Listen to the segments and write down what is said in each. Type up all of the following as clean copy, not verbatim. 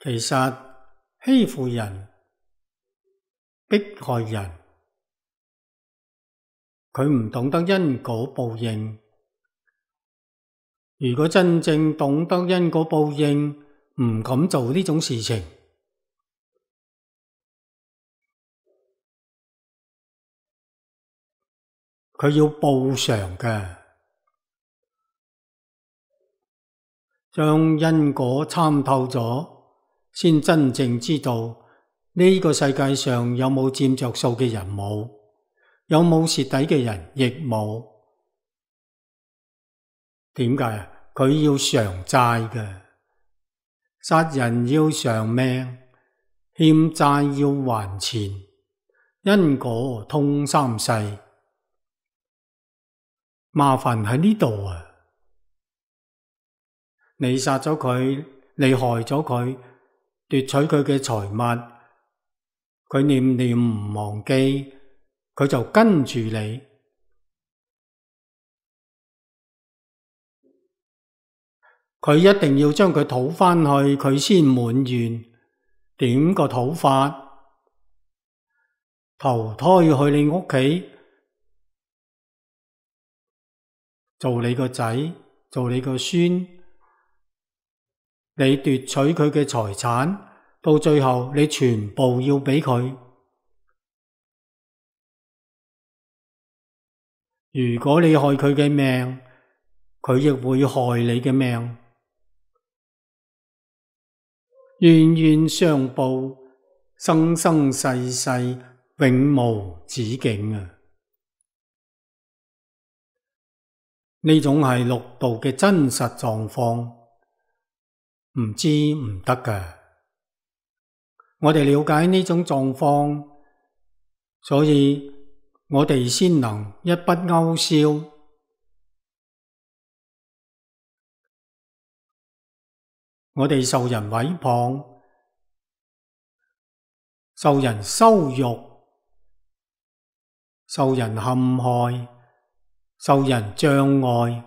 其實欺負人、迫害人，佢唔懂得因果報應。如果真正懂得因果報應，唔敢做呢種事情。佢要報償嘅，將因果參透咗，先真正知道呢個世界上有冇佔着數嘅人冇，有冇蝕底嘅人亦冇。點解啊？佢要償債嘅，殺人要償命，欠債要還錢，因果通三世。麻煩喺呢度啊！你殺咗佢，你害咗佢，奪取佢嘅財物，佢念念唔忘記，佢就跟住你。佢一定要將佢討返去，佢先滿願。點個討法？投胎去你屋企，做你個仔，做你個孫。你奪取佢嘅財產，到最後你全部要俾佢。如果你害佢嘅命，佢亦會害你嘅命。冤冤相報，生生世世，永無止境啊！呢種係六道嘅真實狀況，唔知唔得㗎。我哋了解呢種狀況，所以我哋先能一筆勾銷。我哋受人毀謗，受人羞辱，受人陷害，受人障礙，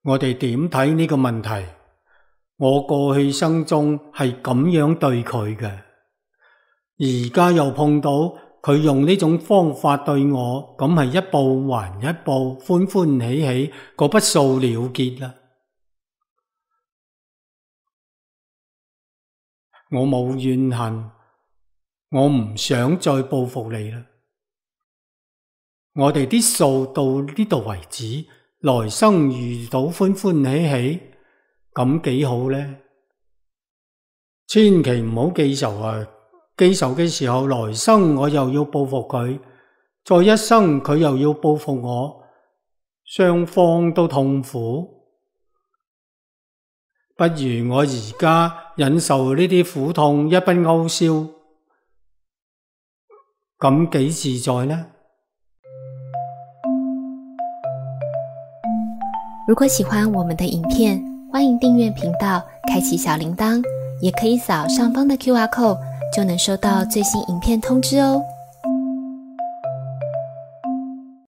我哋點睇呢個問題？我過去生中係咁樣對佢嘅，而家又碰到佢用呢種方法對我，咁係一報還一報，歡歡喜喜，嗰筆數了結啦。我冇怨恨，我唔想再報復你啦。我哋啲數到呢度為止，來生遇到歡歡喜喜，咁幾好呢？千祈唔好記仇啊！記仇嘅時候，來生我又要報復佢，再一生佢又要報復我，雙方都痛苦。不如我而家忍受呢啲苦痛，一筆勾銷，咁幾自在呢？如果喜歡我們的影片，歡迎訂閱頻道，開啟小鈴鐺，也可以掃上方的QR code，就能收到最新影片通知哦。